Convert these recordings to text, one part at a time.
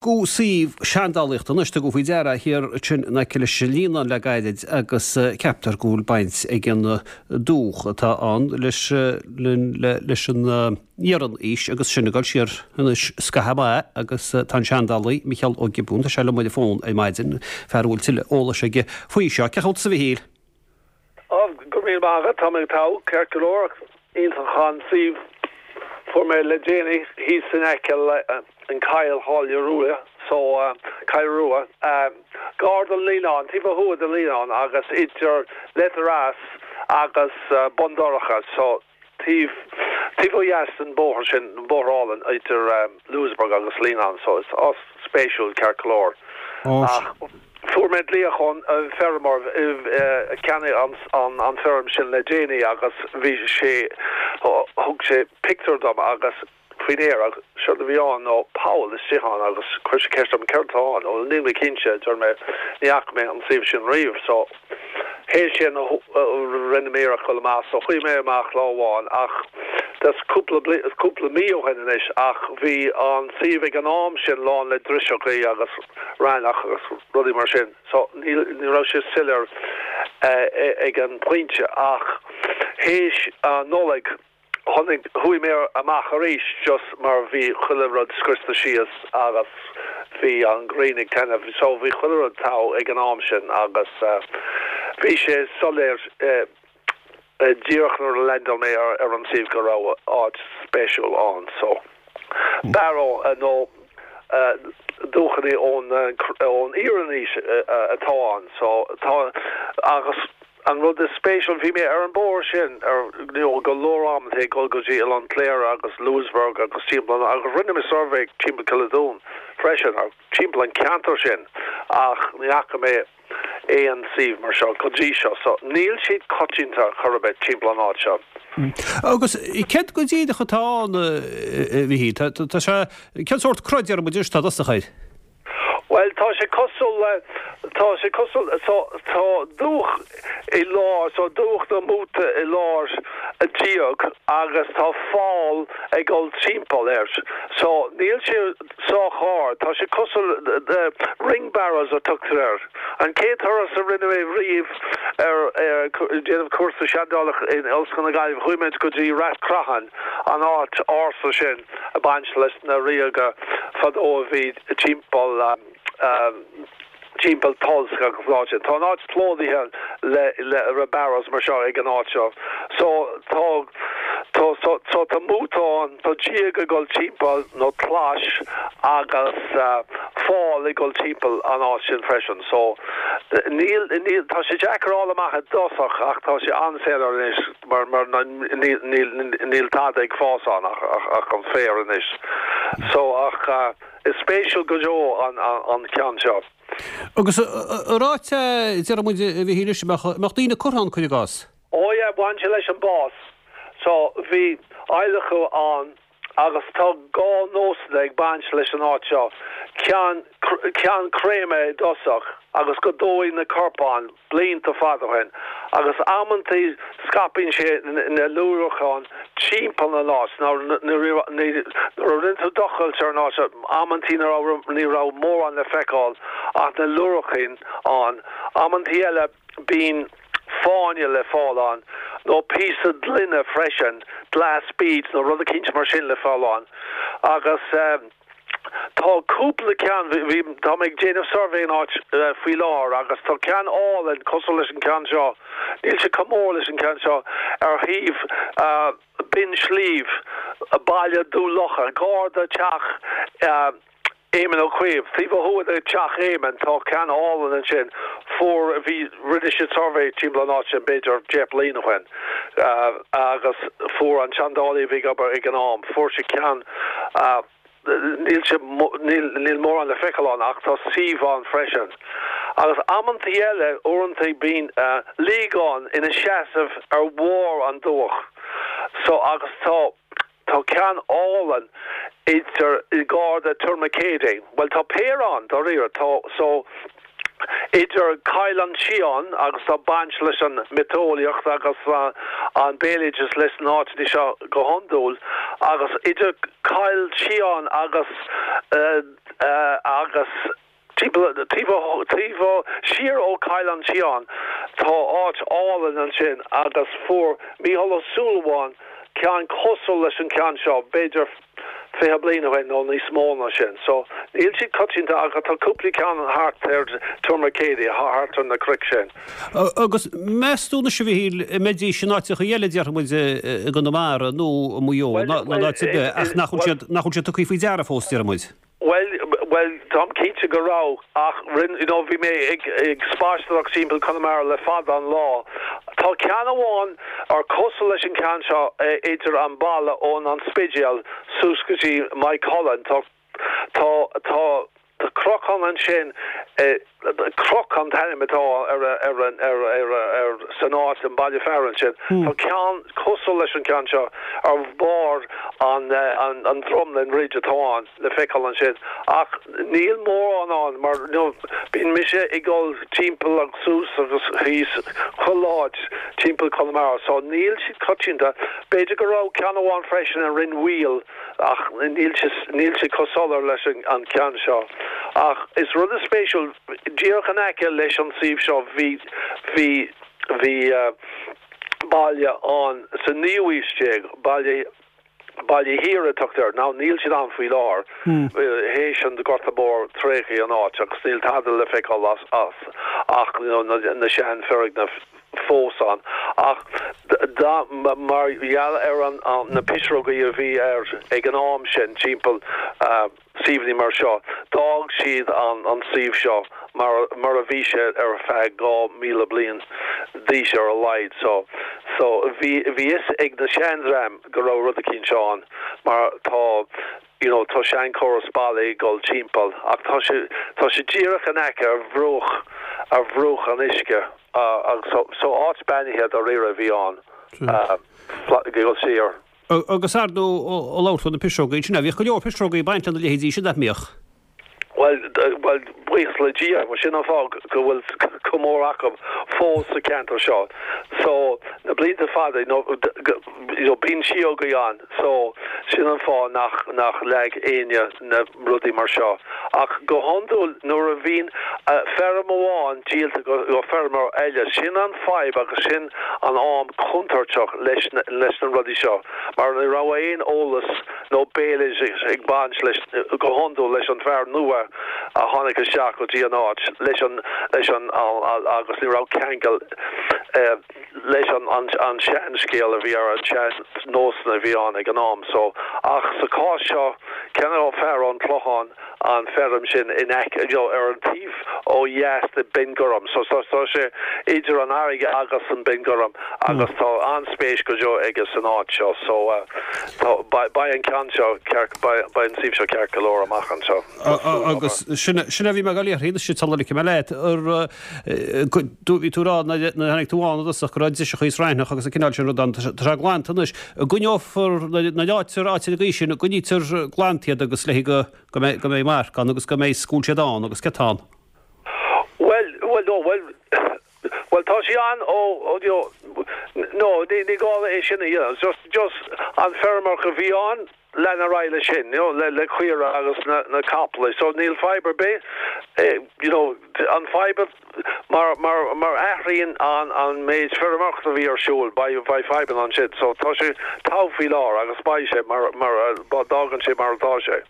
Go suíomh seandálaíochta anois, tugadh faoi deara thiar ansin in aice leis an Líonán le gairid agus ceaptar go bhfuil baint ag an dúch atá ann leis leis an Iarann-aois agus sin ag dul siar anois scaitheamh maith agus tá an seandálaí Micheál Ó Giobúin, tá sé liom ar an bhfón ar maidin, fear a bhfuil tuilleadh eolais aige faoi seo. Cén chaoi a bhfuil tusa a Mhichíl? Ó, go raibh míle maith agat, tá mé togha, ceart go leor, iontach an suíomh fuair mé le déanaí thíos in aice le an Coill Tháille Rua, so Coill Rua, gar don Líonán, taobh ó thuaidh den Líonán agus idir Leitir Eas agus Bun Dobhráin, so. Taobh taobh ó dheas den bóthar sin, an bóthar álainn idir Louisburgh agus Leenane, so is áit spéisiúil ceart go leor. Ach fuair mé glaoch ón bhfeirmeoir a cheannaigh an an feirm sin le déanaí agus bhí sé, thug sé pictiúr dom agus faoin aer agus séard a bhí ann ná poll istigh ann agus chuir sé ceist orm céard atá ann? Bhuel níl mé cinnte, a deir mé, ní fhaca mé an suíomh sin riamh so théis sin rinne mé iarracht dul amach so chuaigh mé amach lá amháin ach that's cúpla cúpla mí ó shin anois ach bhí an suíomh ag an am sin lán le driseachaí agus raithneach agus rudaí mar sin so ní ní raibh sé soiléir ag an bpointe ach théis an Nollaig Tháinig, chuaigh mé amach arís just mar bhí chuile rud scriosta síos agus bhí an ghrian ag taitneamh so bhí chuile rud togha ag an am sin agus bhí sé soiléir díreach nuair a leaindeáil mé ar an suíomh go raibh áit spéisiúil ann so barrow nó dúchanna ón ón Iarannaois atá ann so tá agus An rud is spéisiúil, bhí mé ar an bóthar sin ar you know go leor amanta ag dul go dtí Oileán Cléire agus Louisburgh agus timpeall an agus rinne mé suirbhé timpeall Cill an Dúin freisin ar timpeall an ceantar sin ach ní fhaca mé aon suíomh mar seo go dtí seo so níl siad coitianta chor ar bith timpeall an áit seo. Agus céard go díreach atá ann, a Mhichíl? Tá sé, cén sórt cruth déarfaidh muid anois atá i dtosach air? Bhuel, tá sé cosúil le, tá sé cosúil, so, tá dúch i lár, so dúch nó móta i lár díog agus tá fál ag dul timpeall air. So, níl sé sách ard, tá sé cosúil le, ring barrows a tugtar air. An chéad turas a rinne mé riamh ar, ar, déanamh cúrsa seandálaíochta in Ollscoil na Gaillimhe, chuaigh muid go dtí Rath Creatháin, an áit ársa sin. ag baint leis na ríoga fadó a bhí timpeall timpeall Tulsk agus an áit sin. Tá an áit plódaithe le le barrows mar seo ag an áit seo. So tá tá so so tá móta ann, tá díog ag dul timpeall nó clais agus fál ag dul timpeall an áit sin freisin. So níl níl tá sé deacair a fháil amach i dtosach ach tá sé an-soiléir anois. mar mar níl níl tada ag fás ann ach ach an féar anois. So ach is spéisiúil go deo an an ceann seo. Agus ar áit é, déarfaidh muid, a Mhichíl anois, a mbeadh a mbeadh daoine curtha ann, cuir i gcás? Ó yeah, bhain sé leis an bás. So bhí adhlacadh ann agus tá dhá nósanna ag baint leis an áit seo, ceann ceann créamadh i dtosach agus go dóigh na corpáin blianta fada ó shin agus amantaí scaipeann sé na luaithreacháin timpeall na n-áit nuair a rinne tú tochailt ar an áit seo amantaí ní raibh ní raibh mórán le feiceáil ach na luaithreacháin ann amantaí eile Bíonn fáinne le fáil ann, nó píosa gloine freisin, glass beads nó rud eicínt mar sin le fáil ann. Agus tá cúpla ceann, bhí, tá mé ag déanamh suirbhé in áit faoi láthair agus tá ceann álainn cosúil leis an ceann seo, níl sé chomh mór leis an ceann seo, ar thaobh Binn Sliabh, Baile Dún Locha, gar do teach Éamon Ó Cuív, taobh ó thuaidh de teach Éamoin, tá ceann álainn ansin. Fuair, bhí, rinne siad suirbhé timpeall an áit sin b'fhéidir 10 bliain ó shin agus fuair an seandálaí a bhí ag obair ag an am, fuair sé ceann, níl sé, níl, níl mórán le feiceáil ann ach tá suíomh ann freisin. Agus amantaí eile, uaireanta bíonn liagán ina seasamh ar bharr an dúch so agus tá, Tá ceann álainn idir, gar do Tourmakeady. Bhuel, tá péire ann, dáiríre. Tá, so, Idir Coill an tSiáin agus tá baint leis an miotaseolaíocht agus an béaloideas leis na háiteanna seo go hiondúil, agus idir Coill tSiáin agus agus timpeall taobh taobh siar ó Coill an tSiáin tá áit álainn ansin agus fuair Mícheál Ó Súilleabháin ceann cosúil leis an ceann seo b'fhéidir 20 bliain ó shin nó níos mó ná sin. So, níl siad coitianta ach tá cúpla ceann thart ar Tourmakeady, thart ar na cnoic sin. Agus meas tú anois a Mhichíl, an mbeidís in áiteacha eile, déarfaidh muid i gConamara nó i Maigh Eo nó in áit ar bith ach nach bhfuil siad, nach bhfuil siad tugtha faoi deara fós, déarfaidh muid? Bhuel, bhuel, táim cinnte go raibh, ach rinne, you know, bhí mé ag, ag spaisteoireacht timpeall Conamara le fada an lá. Tá ceann amháin ar cosúil leis an ceann seo idir an baile ón An Spidéal suas go dtí Maigh Cuilinn. Tá, tá, tá, tá cnocán ansin, Croc an t-ainm atá ar, ar, ar, ar, ar, san áit, an baile fearainn sin. Tá ceann cosúil leis an ceann seo ar bharr an, an, an drumlin ridge atá ann le feiceáil ansin. Ach níl mórán ann mar you know bíonn mise ag dul timpeall agus suas agus thíos chuile áit timpeall Conamara so níl siad coitianta. B'fhéidir go raibh ceann amháin freisin i Rinn Mhaoil ach níl sé níl sé chomh soiléir leis an ceann seo. Ach is rud spéisiúil, díreach in aice leis an suíomh seo bhí bhí bhí baile ann sa naoú haois déag, baile Baile Thiar a tugtar air. Now níl siad ann faoi láthair. Théis an Gorta Mór tréigeadh an áit agus níl tada le feiceáil as ach you know na sean foirgnimh fós ann. Ach da mar gheall ar an na pisreogaí a bhí ar ag an am sin timpeall suíomhanna mar seo, d'fhág siad an an suíomh seo mar mar a bhí sé ar feadh 2,000 bliain d'aois ar a laghad. So so bhí bhí fhios ag na seandream go raibh rud eicínt seo ann mar tá you know tá seanchóras ballaí ag dul timpeall ach tá sé tá sé díreach in aice ar bhruach ar bhruach an uisce agus so so áit beannaithe dáiríre a bhí ann ag dul siar. Agus ar ndóigh ag labhairt fá na pisreogaí ansin, bhíodh go leor pisreogaí ag baint lena leithéidí sin, nach mbíodh? Bhuel, bhuel, buíochas le Dia, sin an fáth go bhfuil chomh mór acu fós sa cheantar seo. So, na blianta fada, you know, you know, bíonn síógaí ann, so sin an fáth nach, nach leag éinne na rudaí mar seo. Ach go hiondúil nuair a bhíonn feirm amháin díolta go, go feirmeoir eile, sin an fadhb agus sin an am contúirteach leis na, leis na rudaí seo mar ní raibh aon eolas nó béaloideas ag baint leis, go hiondúil leis an bhfear nua a tháinig isteach go dtí an áit leis an, leis an, agus ní raibh ceangal leis an, an, an seanscéal a bhí ar an sean-nósanna a bhí ann ag an am so. Ach sa chás seo, cheannaigh an fear ón Chlochán an feirm sin in aice, you know, ar an taobh ó dheas de Binn Gorm. So tá sé idir an fharraige agus an Binn Gorm agus tá an-spéis go deo aige san áit seo. So tá, beidh an ceann seo ceart, beidh an suíomh seo ceart go leor amach anseo. Agus sin, sin a bhí mé ag dul a iarraidh anois sula ligfidh mé leat, ar, bhí tú ag rá nuair a tháinig tú ann i dtosach go raibh driseacha is raithneach agus an cineál sin rud ann, tá sé glanta anois. An gcoinneofar na áitear áit ar an gcaoi sin, an gcoinnítear glanta iad agus le go go mbeidh go mbeidh marc ann agus go mbeidh go bhfuil siad ann agus cé atá ann? Bhuel, bhuel, no, bhuel, bhuel tá sé ann ó, ó, you know, no, ní, ní gá é sin a dhéanamh, just, just an feirmeoir a bhí ann, lean ar aghaidh leis sin, you know, le, le caora agus na, na capaill. So níl fadhb ar bith, you know, an fadhb mar, mar, mar athraíonn an, an méid feirmeoireachta a bhí ar siúl, beidh, beidh fadhbanna ansin. So tá sé togha faoi láthair agus beidh sé mar, mar, d'fhágann sé mar atá sé.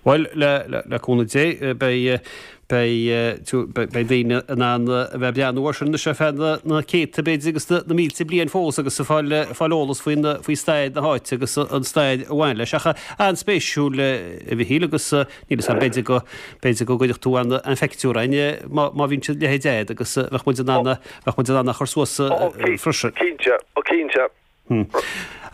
Bhuel, le, le cúnamh Dé, beidh, beidh, beidh daoine in ann a bheith ag breathnú air sin anois ar feadh na céadta b'fhéidir agus na mílte bliain fós agus ag fáil, fáil eolas faoin, faoi stair na háite agus an stair a bhain leis. Ach an-spéisiúil a Mhichíl agus níl 'fhios a'm b'fhéidir go, b'fhéidir go gcuirfeadh tú an, an phictiúr againn má, má bhíonn a leithéid a'd agus bheadh muid in ann, bheadh muid in ann a chur suas freisin. Cinnte, cinnte.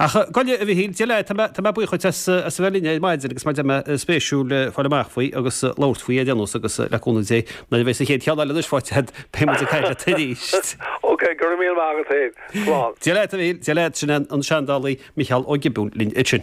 Ach gabh i leith, a Mhichíl, Dia leat, tá mé, tá mé buíoch dhuit as, as a bheith linn ar maidin agus mar a deir mé, spéisiúil fáil amach faoi agus labhairt faoi ar aon nós agus le cúnamh Dé, nuair a bheidh an chéad cheann eile anois faighte agat, beidh muid ag caint leat arís. Ok, go raibh míle maith agat féin. Slán. Dia leat, a Mhichíl, Dia leat, sin an seandálaí Micheál Ó Giobúin linn ansin.